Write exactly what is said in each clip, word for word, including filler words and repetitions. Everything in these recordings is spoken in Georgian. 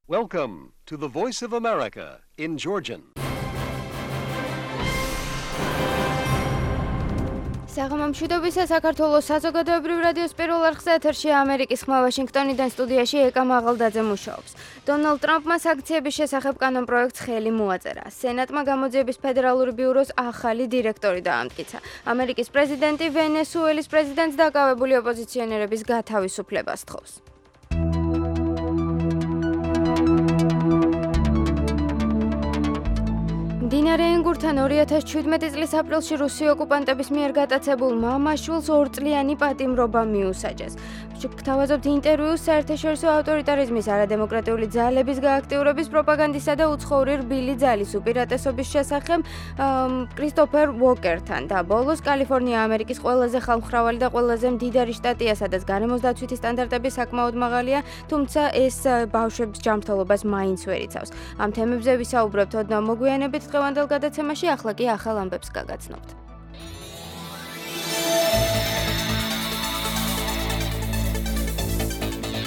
Welcome to the Voice of America in Georgian. საღამომშვიდობისა საქართველოს საზოგადოებრივ რადიოს პირველ არხზე ეთერშია ამერიკის ხმა ვაშინგტონიდან სტუდიაში ეკა მაღალდაძე მუშაობს. დონალდ ტრამპმა სანქციების შესახებ კანონპროექტს ხელი მოაწერა. სენატმა გამოძიების ფედერალური ბიუროს ახალი დირექტორი დაამტკიცა. ამერიკის პრეზიდენტი ვენესუელის პრეზიდენტს დაკავებული ოპოზიციონერების გათავისუფლებას თხოვს. მდინარე ენგურთან ორი ათას შვიდმეტი წლის აპრილში რუსი ოკუპანტების მიერ გატაცებულ მამაშვილს ორწლიანი პატიმრობა მიუსაჯეს. გვთავაზობთ ინტერვიუს საერთაშორისო ავტორიტარიზმის არადემოკრატიული ძალების გააქტიურების პროპაგანდისა და უცხოური რბილი ძალის უპირატესობის შესახებ კრისტოფერ უოკერთან და ბოლოს კალიფორნია ამერიკის ყველაზე ხალხმრავალი და ყველაზე მდიდარი შტატია, სადაც გარემოს დაცვითი სტანდარტები საკმაოდ მაღალია, თუმცა ეს ბავშვების ჯანმრთელობას მაინც ვერ იცავს. ამ თემებზე ვისაუბრებთ ოდნავ მოგვიანებით დღევანდელ გადაცემაში, ახლა კი ახალ ამბებს გაგაცნობთ.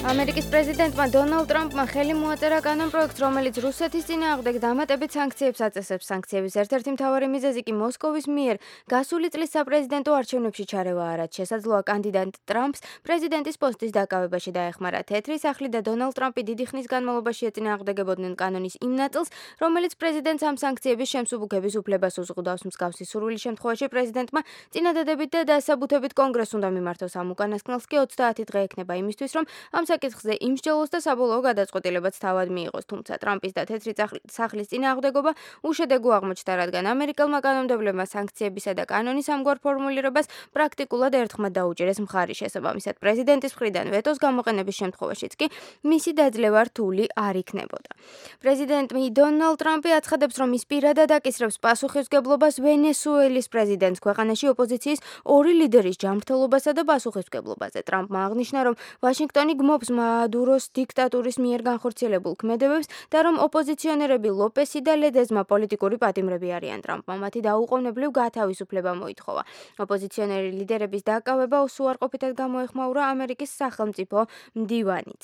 ამერიკის პრეზიდენტმა დონალდ ტრამპმა ხელი მოაწერა კანონპროექტს, რომელიც რუსეთის წინააღმდეგ დამატებით სანქციებს აწესებს. სანქციების ერთ-ერთი მთავარი მიზეზი კი მოსკოვის მიერ გასული წლის საპრეზიდენტო არჩევნებში ჩარევაა, რაც შესაძლოა კანდიდატ ტრამპს პრეზიდენტის პოსტის დაკავებაში დაეხმარა. თეთრი სახლი და დონალდ ტრამპი დიდი ხნის განმავლობაში ეწინააღმდეგებოდნენ კანონის იმ ნაწილს, რომელიც პრეზიდენტს ამ სანქციების შემსუბუქების უფლებას უზღუდავს. მსგავსი სურვილის შემთხვევაში პრეზიდენტმა წინადადებით და დასაბუთებით კონგრესს უნდა მიმართოს. ამ უკანასკნელს კი ოცდაათი დღე ექნება იმისთვის, რომ ამ საკითხზე იმსჯელოს და საბოლოო გადაწყვეტილებაც თავად მიიღოს. თუმცა ტრამპის და თეთრი სახლის წინააღმდეგობა უშედეგო აღმოჩნდა, რადგან ამერიკელმა კანონმდებლებმა სანქციებისა და კანონის ამგვარ ფორმულირებას პრაქტიკულად ერთხმად დაუჭირეს მხარი. შესაბამისად, პრეზიდენტის მხრიდან ვეტოს გამოყენების შემთხვევაშიც კი მისი დაძლევა რთული არ იქნებოდა. პრეზიდენტი დონალდ ტრამპი აცხადებს, რომ ის პირადად აკისრებს პასუხისმგებლობას ვენესუელის პრეზიდენტს ქვეყანაში ოპოზიციის ორი ლიდერის ჯანმრთელობასა და პასუხისმგებლობაზე. ტრამპმა აღნიშნა, რომ ვაშინგტონი გმობს მადუროს დიქტატურის მიერ განხორციელებულ ქმედებებს და რომ ოპოზიციონერები ლოპესი და ლედეზმა პოლიტიკური პატიმრები არიან. ტრამპმა მათი დაუყოვნებლივ გათავისუფლება მოითხოვა. ოპოზიციონერი ლიდერების დაკავება უარყოფითად გამოეხმაურა ამერიკის სახელმწიფო მდივანიც.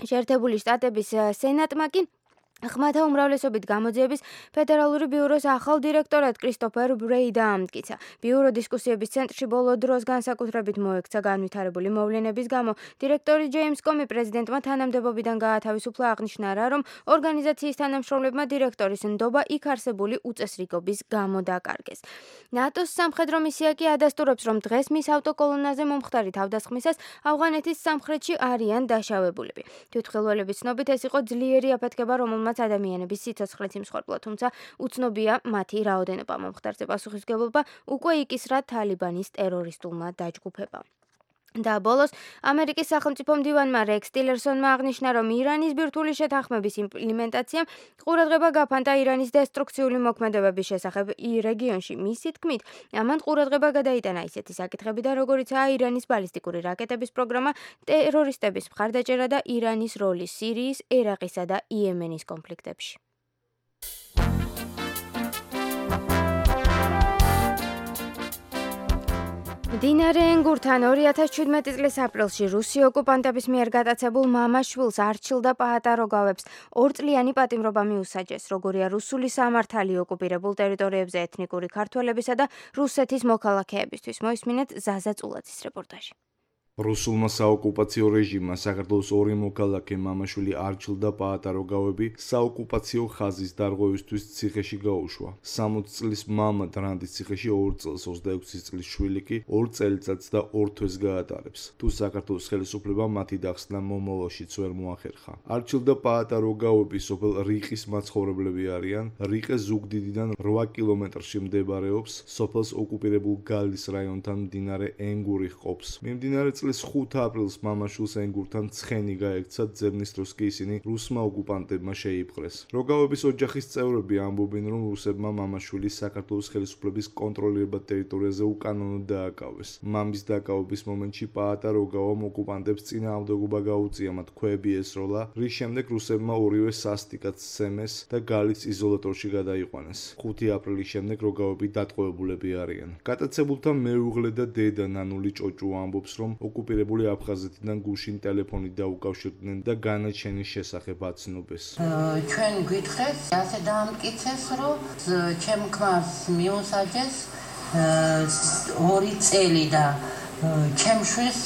შეერთებული შტატების სენატმა კი ხმათა უმრავლესობით გამოძიების ფედერალური ბიუროს ახალ დირექტორად კრისტოფერ ბრეი დაამტკიცა. ბიურო დისკუსიების ცენტრში ბოლო დროს განსაკუთრებით მოექცა განვითარებული მოვლენების გამო. დირექტორი ჯეიმს კომი პრეზიდენტმა თანამდებობიდან გაათავისუფლა, აღნიშნა რა, რომ ორგანიზაციის თანამშრომლებმა დირექტორის ნდობა იქ არსებული უწესრიგობის გამო დაკარგეს. ნატოს სამხედრო მისია კი ადასტურებს, რომ დღეს მის ავტოკოლონაზე მომხდარი თავდასხმისას ავღანეთის სამხრეთში არიან დაშავებულები. თვითმხილველების ცნობით ეს იყო ძლიერი აფეთქება, რომელმაც ადამიანების სიცოცხლეც იმსხვერპლა, თუმცა უცნობია მათი რაოდენობა. მომხდარზე პასუხისმგებლობა უკვე იკისრა თალიბანის ტერორისტულმა დაჯგუფებამ. და ბოლოს ამერიკის სახელმწიფო მდივანმა რექს ტილერსონმა აღნიშნა, რომ ირანის ბირთვული შეთანხმების იმპლემენტაციამ ყურადღება გაფანტა ირანის დესტრუქციული მოქმედებების შესახებ რეგიონში. მისი თქმით, ამან ყურადღება გადაიტანა ისეთი საკითხებიდან, როგორიცაა ირანის ბალისტიკური რაკეტების პროგრამა, ტერორისტების მხარდაჭერა და ირანის როლი სირიის, ერაყისა და იემენის კონფლიქტებში. მდინარე ენგურთან ორი ათას შვიდმეტი წლის აპრილში რუსი ოკუპანტების მიერ გატაცებულ მამაშვილს არჩილ და პაატაროგავებს ორწლიანი პატიმრობა მიუსაჯეს. როგორია რუსული სამართალი ოკუპირებულ ტერიტორიებზე ეთნიკური ქართველებისა და რუსეთის მოქალაქეებისთვის. მოისმინეთ ზაზა წულაძის რეპორტაჟი. რუსულმა საოკუპაციო რეჟიმმა საქართველოს ორი მოქალაქე მამაშვილი არჩილ და პაატაროგავები საოკუპაციო ხაზის დარღვევისთვის ციხეში გაუშვა. სამოცი წლის მამა დრანდის ციხეში ორ წელს, ოცდაექვსი წლის შვილი კი ორ წელიწადს და ორ თვეს გაატარებს. თუ საქართველოს ხელისუფლებამ მათი დახსნა მომავალშიც ვერ მოახერხა. არჩილ და პაატაროგავები სოფელ რიყის მაცხოვრებლები არიან. რიყე ზუგდიდიდან რვა კილომეტრში მდებარეობს. სოფელს ოკუპირებულ გალის რაიონთან მდინარე ენგური ჰყოფს. მიმდინარე წლის ხუთ აპრილს მამაშვილს ენგურთან ცხენი გაექცა, ძებნის დროს კი ისინი რუსმა ოკუპანტებმა შეიპყრეს. როგავების ოჯახის წევრები ამბობენ, რომ რუსებმა მამაშვილის საქართველოს ხელისუფლების კონტროლირებად ტერიტორიაზე უკანონოდ დააკავეს. მამის დაკავების მომენტში პაატაროგავამ ოკუპანტებს წინააღმდეგობა გაუწია, მათ ქვები ესროლა, რის შემდეგ რუსებმა ორივე სასტიკად სცემეს და გალის იზოლატორში გადაიყვანეს. ხუთი აპრილის შემდეგ როგავები დატყვევებულები არიან. გატაცებულთა მეუღლე და დედა ნანული ჭოჭუ ამბობს, რომ ოკუპირებული აფხაზეთიდან გუშინ ტელეფონით დაუკავშირდნენ და განაჩენის შესახებ აცნობეს. ჩვენ გვითხრეს, ასე დაამტკიცეს, რომ ჩემ ქმარს მიუსაჯეს ორი წელი და ჩემ შვილს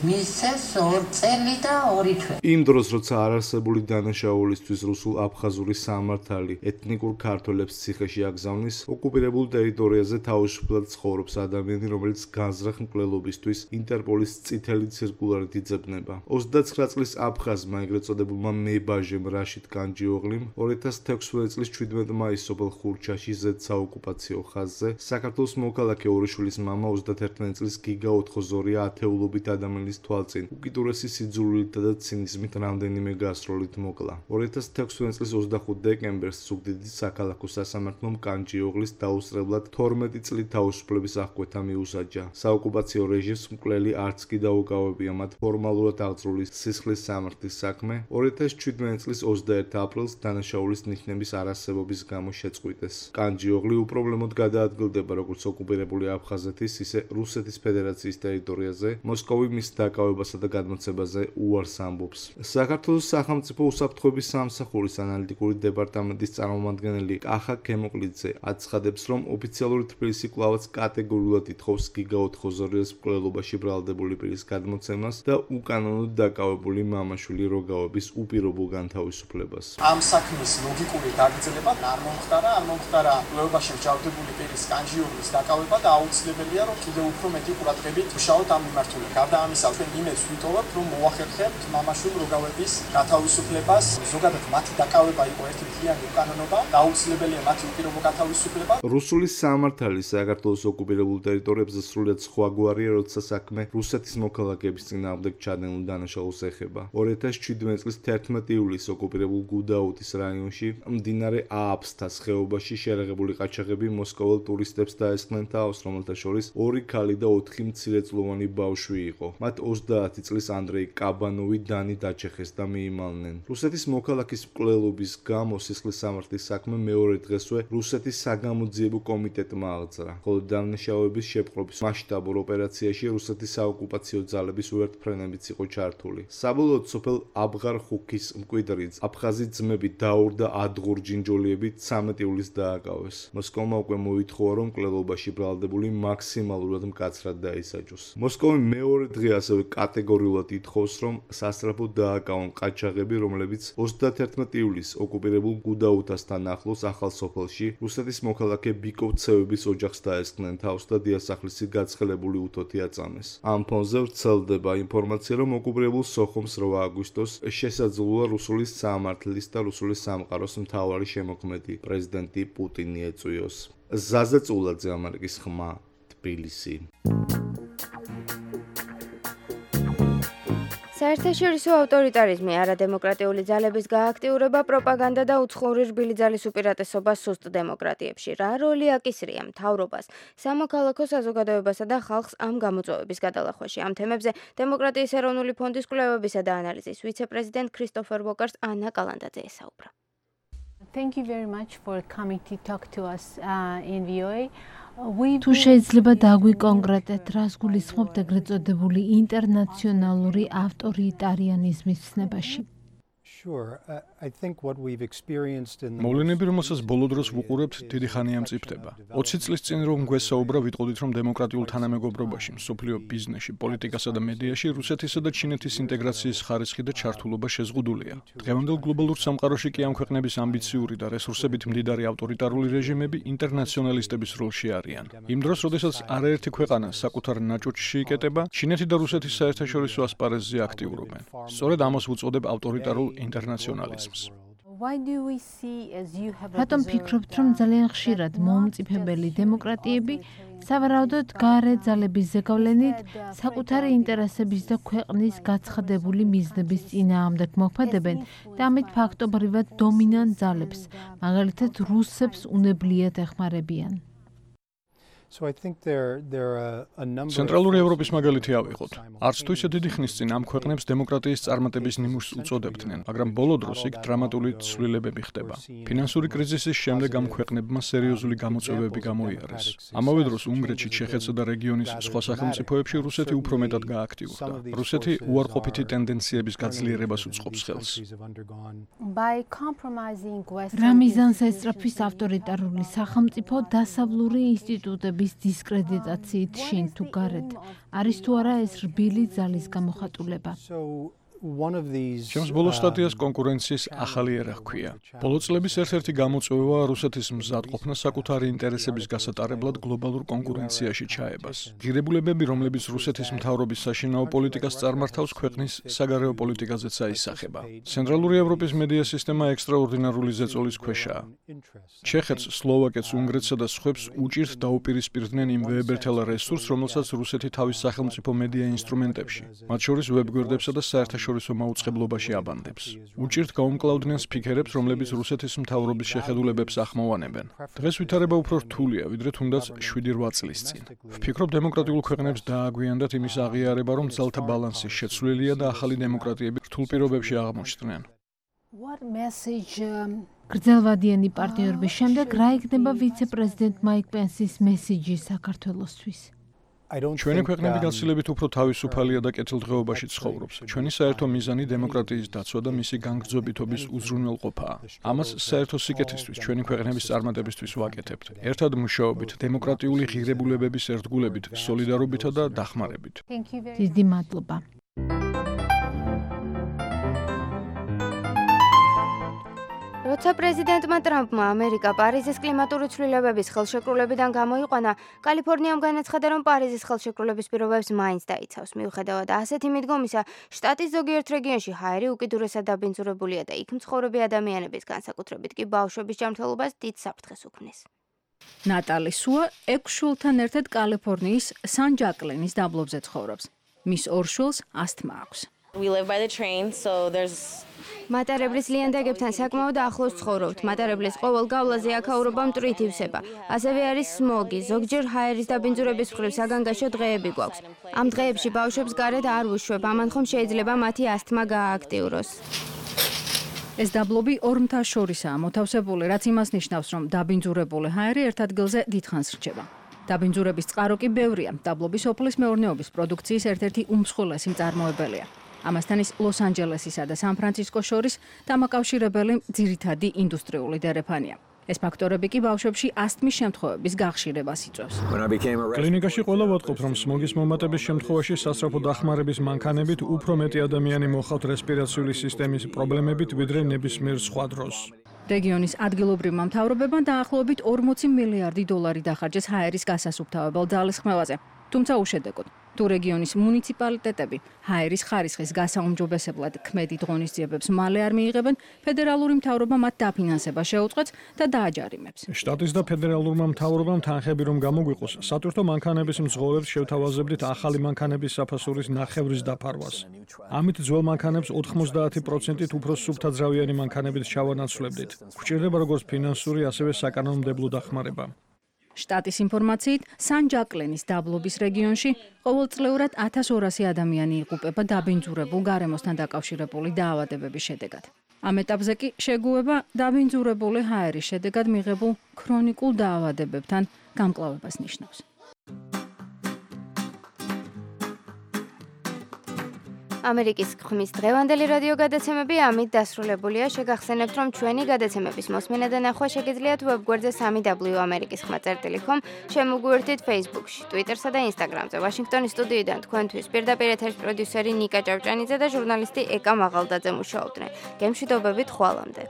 მისცეს ორ წელი და ორი თვე. იმ დროს, როცა არარსებული დანაშაულისთვის რუსულ-აფხაზური სამართალი ეთნიკურ ქართველებს ციხეში აგზავნის, ოკუპირებულ ტერიტორიაზე თავისუფლად ცხოვრობს ადამიანი, რომელიც განზრახ მკვლელობისთვის ინტერპოლის წითელი ციρკულარით იძებნება. ოცდაცხრა წლის აფხაზმა, ეგრეთ წოდებულმა მებაჟემ რაშიდ განჯიოღლიმ, ორი ათას თექვსმეტი წლის შვიდმეტი მაისს სოფელ ხურჩაში ზედ საოკუპაციო ხაზზე საქართველოს მოქალაქე ორიშვილის მამა ოცდაათერთმეტი წლის გიგა ოთხოზორია ათეულობით ადამიანის თვალწინ უკიდურესი სიძულვილითა და ცინიზმით რამდენიმე გასროლით მოკლა. ორი ათას თექვსმეტი წლის ოცდახუთი დეკემბერს ზუგდიდის საქალაქო სასამართლომ კანჯიოღლის დაუსწრებლად თორმეტი წლით თავისუფლების აღკვეთა მიუსაჯა. საოკუპაციო რეჟიმს მკვლელი არც კი დაუკავებია მათ ფორმალურად აღძრული სისხლის სამართლის საქმე. ორი ათას ჩვიდმეტი წლის ოცდაერთი აპრილს დანაშაულის ნიშნების არასებობის გამო შეწყვიტეს. კანჯიოღლი უპრობლემოდ გადაადგილდება როგორც ოკუპირებული აფხაზეთის, ისე რუსეთის ფედერაციის ტერიტორიაზე, მოსკოვი მის დაკავებასა და გადმოცემაზე უარს ამბობს. საქართველოს სახელმწიფო უსაფრთხოების სამსახურის ანალიტიკური დეპარტამენტის წარმომადგენელი კახა ქემოკლიძე აცხადებს, რომ ოფიციალური თბილისი კვლავაც კატეგორიულად ითხოვს გიგა ოთხოზორიას მკვლელობაში ბრალდებული პირის გადმოცემას და უკანონოდ დაკავებული მამაშვილი როგავების უპირობო განთავისუფლებას. ამ საქმის ლოგიკური გაგრძელება არ მომხდარა, არ მომხდარა მკვლელობაში მსჯავრდებული პირის კანჯიოღლის დაკავება და აუცილებელია, რომ კიდევ უფრო მეტი ყურადღებით ვშალოთ ამ მიმართულებით. გარდა ამისა, ჩვენ იმედს ვიტოვებთ, რომ მოახერხებთ მამაშვილ როგავების გათავისუფლებას. ზოგადად მათი დაკავება იყო ერთი მთლიანი უკანონობა და აუცილებელია მათი უპირობო გათავისუფლება. რუსული სამართალი საქართველოს ოკუპირებულ ტერიტორიებზე სრულიად სხვაგვარია, როცა საქმე რუსეთის მოქალაქეების წინააღმდეგ ჩადენილ დანაშაულს ეხება. ორი ათას ჩვიდმეტი წლის თერთმეტი ივლისს ოკუპირებულ გუდაუთის რაიონში მდინარე ააფსთას ხეობაში შერეღებული ყაჩაღები მოსკოველ ტურისტებს დაესხნენ თავს, რომელთა შორის ორი ქალი და ოთხი მცირეწლოვანი ბავშვი იყო. მათ ოცდაათი წლის ანდრეი კაბანოვი დანი დაჩეხეს და მიიმალნენ. რუსეთის მოქალაქის მკვლელობის გამო სისხლის სამართლის საქმე მეორე დღესვე რუსეთის საგამოძიებო კომიტეტმა აღძრა, ხოლო დანაშაულების შეპყრობის მასშტაბურ ოპერაციაში რუსეთის საოკუპაციო ძალების უერთფრენებიც იყო ჩართული. საბოლოოდ სოფელ აბღარ-ხუქის მკვიდრიც აფხაზი ძმები დაურ და ადღურ ჯინჯოლიებით ცამეტი ივლისს დააკავეს. მოსკოვმა უკვე მოითხოვა, რომ მკვლელობაში ბრალდებული მაქსიმალურად მკაცრად დაისაჯოს. მოსკოვი მეორე დღე ასევე კატეგორიულად ითხოვს, რომ სასწრაფოდ დააკავონ ყაჩაღები, რომლებიც ოცდათერთმეტი ივლისს ოკუპირებულ გუდაუთასთან ახლოს ახალ სოფელში რუსეთის მოქალაქე ბიკოვცევების ოჯახს დაესხნენ თავს და დიასახლისი გაცხელებული უთოთი აწამეს. ამ ფონზე ვრცელდება ინფორმაცია, რომ ოკუპირებულ სოხუმს რვა აგვისტოს შესაძლოა რუსული სამართლის და რუსული სამყაროს მთავარი შემოქმედი პრეზიდენტი პუტინი ეწვიოს. ზაზა წულაძე, ამერიკის ხმა, თბილისი. საერთაშორისო ავტორიტარიზმი, არადემოკრატიული ძალების გააქტიურება, პროპაგანდა და უცხოური რბილი ძალის უპირატესობა სუსტ დემოკრატიებში. რა როლი აკისრია მთავრობას, სამოქალაქო საზოგადოებასა და ხალხს ამ გამოწვევების გადალახვაში? ამ თემებზე დემოკრატიის ეროვნული ფონდის კვლევებისა და ანალიზის ვიცე-პრეზიდენტ ქრისტოფერ ვოკარს ანა კალანდაძე ესაუბრა. Thank you very much for coming to talk to us uh, in V O A. თუ შეიძლება დაგვიკონკრეტეთ, რას გულისხმობთ ეგრეთ წოდებული ინტერნაციონალური ავტორიტარიანიზმის ცნებაში? მოვლენები, რომელსაც ბოლო დროს ვუყურებთ, დიდი ხანია მწიფდება. ოცი წლის წინ რომ გვესაუბრა, ვიტყოდით, რომ დემოკრატიულ თანამეგობრობაში, მსოფლიო ბიზნესში, პოლიტიკასა და მედიაში რუსეთისა და ჩინეთის ინტეგრაციის ხარისხი და ჩართულობა შეზღუდულია. დღევანდელ გლობალურ სამყაროში კი ამ ქვეყნების ამბიციური და რესურსებით მდიდარი ავტორიტარული რეჟიმები ინტერნაციონალისტების როლში არიან. იმ დროს, როდესაც არაერთი ქვეყანა საკუთარ ნაჭუჭში იკეტება, ჩინეთი და რუსეთის საერთაშორისო ასპარეზზე აქტიურობენ. სწორედ ამას ვუწოდებ ავტორიტარულ ინტერნაციონალიზმს. რატომ ფიქრობთ, რომ ძალიან ხშირად მომწიფებელი დემოკრატიები სავარაუდოდ გარე ძალების ზეგავლენით საკუთარი ინტერესების და ქვეყნის გაცხადებული მიზნების წინააღმდეგ მოქმედებენ და ამით ფაქტობრივად დომინანტ ძალებს, მაგალითად რუსებს უნებლიეთ ეხმარებიან? ცენტრალური ევროპის მაგალითი ავიღოთ. არც თუ ისე დიდი ხნის წინ ამ ქვეყნებს დემოკრატიის წარმატების ნიმუშს უწოდებდნენ, მაგრამ ბოლო დროს იქ დრამატული ცვლილებები ხდება. ფინანსური კრიზისის შემდეგ ამ ქვეყნებმა სერიოზული გამოწვევები გამოიარეს. ამავე დროს უნგრეთში, ჩეხეთსა და რეგიონის სხვა სახელმწიფოებში რუსეთი უფრო მეტად გააქტიურდა. რუსეთი უარყოფითი ტენდენციების გაძლიერებას უწყობს ხელს. რა მიზანს ესწრაფვის ავტორიტარული სახელმწიფო დასავლური ინსტიტუტების დისკრედიტაციით შინ თუ გარეთ? არის თუ არა ეს რბილი ძალის გამოხატულება? ჩემს ბოლო სტატიას კონკურენციის ახალი ერა ჰქვია. ბოლო წლების ერთ-ერთი გამოწვევა რუსეთის მზადყოფნა საკუთარი ინტერესების გასატარებლად გლობალურ კონკურენციაში ჩაებას. ღირებულებები, რომლებიც რუსეთის მთავრობის საშინაო პოლიტიკას წარმართავს, ქვეყნის საგარეო პოლიტიკაზეც აისახება. ცენტრალური ევროპის მედია სისტემა ექსტრაორდინარული ზეწოლის ქვეშაა. ჩეხეთს, სლოვაკეთს, უნგრეთსა და სხვებს უჭირთ დაუპირისპირდნენ იმ ვეებერთელა რესურსს, რომელსაც რუსეთი თავის სახელმწიფო მედია ინსტრუმენტებში, მათ შორის ვებგვერდებსა და საერთაშორისო შორისო მაუწყებლობაში აბანდებს. უჭირთ გაუმკლავდნენ სპიქერებს, რომლებიც რუსეთის მთავრობის შეხედულებებს ახმოვანებენ. დღეს ვითარება უფრო რთულია, ვიდრე თუნდაც შვიდი რვა წლის წინ. ვფიქრობ, დემოკრატიულ ქვეყნებს დააგვიანდათ იმის აღიარება, რომ ძალთა ბალანსი შეცვლილია და ახალი დემოკრატიები რთულ პირობებში აღმოჩნდნენ. გრძელვადიანი პარტნიორობის შემდეგ რა იქნება ვიცე-პრეზიდენტ მაიკ პენსის მესიჯი საქართველოსთვის? ჩვენი ქვეყნები გაცილებით უფრო თავისუფალია და კეთილდღეობაში ცხოვრობს. ჩვენი საერთო მიზანი დემოკრატიის დაცვა და მისი განგრძობიტობის უზრუნველყოფაა. ამას საერთო სიკეთისთვის, ჩვენი ქვეყნების წარმატებისთვის ვაკეთებთ. ერთად მუშაობით, დემოკრატიული ღირებულებების ერთგულებით, სოლიდარობითა და დახმარებით. დიდი მადლობა. როცა პრეზიდენტმა ტრამპმა ამერიკა პარიზის კლიმატური ცვლილებების ხელშეკრულებიდან გამოიყვანა, კალიფორნიამ განაცხადა, რომ პარიზის ხელშეკრულების პირობებს მაინც დაიცავს. მიუხედავად ასეთი მიდგომისა, შტატის ზოგიერთ რეგიონში ჰაერი უკიდურესად დაბინძურებულია და იქ მცხოვრები ადამიანების, განსაკუთრებით კი ბავშვების ჯანმრთელობას დიდ საფრთხეს უქმნის. ნატალი სუა ექვს შვილთან ერთად კალიფორნიის სან-ჯაკლინის დაბლობზე ცხოვრობს. მის ორ შვილს ასთმა აქვს. We live by the train, so there's მატარებლის ლიანდაგებთან საკმაოდ ახლოს ცხოვრობთ. მატარებლის ყოველ გავლაზე აქაურობა მტვრით ივსება. ასევე არის სმოგი. ზოგჯერ ჰაერის დაბინძურების მხრივ საგანგაშო დღეები გვაქვს. ამ დღეებში ბავშვებს გარეთ არ ვუშვებ, ამან ხომ შეიძლება მათი ასთმა გაააქტიუროს. ეს დაბლობი ორ მთას შორისაა მოთავსებული, რაც იმას ნიშნავს, რომ დაბინძურებული ჰაერი ერთ ადგილზე დიდხანს რჩება. დაბინძურების წყარო კი ბევრია. დაბლობი სოფლის მეურნეობის პროდუქციის ერთ-ერთი უმსხვილესი მწარმოებელია. ამასთან ის ლოს-ანჯელესისა და სან-ფრანცისკოს შორის დამაკავშირებელი ძირითადი ინდუსტრიული დერეფანია. ეს ფაქტორები კი ბავშვებში ასთმის შემთხვევების გახშირებას იწვევს. კლინიკაში ყველა ვატყობთ, რომ სმოგის მომატების შემთხვევაში სასწრაფო დახმარების მანქანებით უფრო მეტი ადამიანი მოხავთ რესპირაციული სისტემის პრობლემებით, ვიდრე ნებისმიერ სხვა დროს. რეგიონის ადგილობრივმა მთავრობებმა დაახლოებით ორმოცი მილიარდი დოლარი დახარჯეს ჰაერის გასასუფთავებელ ძალისხმევაზე. თუმცა უშედეგოდ, თუ რეგიონის მუნიციპალიტეტები ჰაერის ხარისხის გასაუმჯობესებლად ქმედით ღონისძიებებს მალე არ მიიღებენ, ფედერალური მთავრობა მათ დაფინანსება შეუწყեց და დააჯარიმებს. შტატის და ფედერალურმა მთავრობამ თანხები რომ გამოგვიყოს, სატვირთო მანქანების მძღოლებს შევთავაზებდით ახალი მანქანების საფასურის ნახევრის დაფარვას. ამით ძველ მანქანებს ოთხმოცდაათი პროცენტით უფრო სუფთაძრავიანი მანქანებით ჩავანაცვლებდით. გვჭირდება როგორც ფინანსური, ასევე საკანონმდებლო დახმარება. შტატის ინფორმაციით, სან-ჯაკლინის დაბლობის რეგიონში ყოველწლიურად ათას ორასი ადამიანი იღუპება დაბინძურებულ გარემოსთან დაკავშირებული დაავადებების შედეგად. ამ ეტაპზე კი შეგუება დაბინძურებული ჰაერის შედეგად მიღებულ ქრონიკულ დაავადებებთან გამკლავებას ნიშნავს. ამერიკის ხმის დღევანდელი რადიო გადაცემები ამით დასრულებულია. შეგახსენებთ, რომ ჩვენი გადაცემების მოსმენა და ნახვა შეგიძლიათ ვებგვერდზე სამი დაბლიუ ამერიკის ხმა წერტილი კომ, შემოგვიერთდით Facebook-ში, Twitter-სა და Instagram-ზე. ვაშინგტონის სტუდიიდან თქვენთვის პირდაპირ ეთერის პროდიუსერი ნიკა ჭავჭანიძე და ჟურნალისტი ეკა მაღალდაძე მუშაობდნენ. გემშვიდობებით ხვალამდე.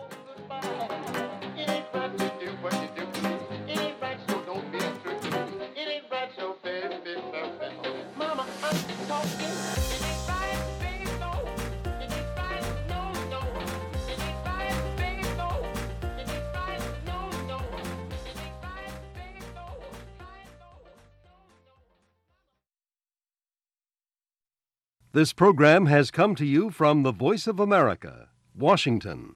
This program has come to you from the Voice of America, Washington.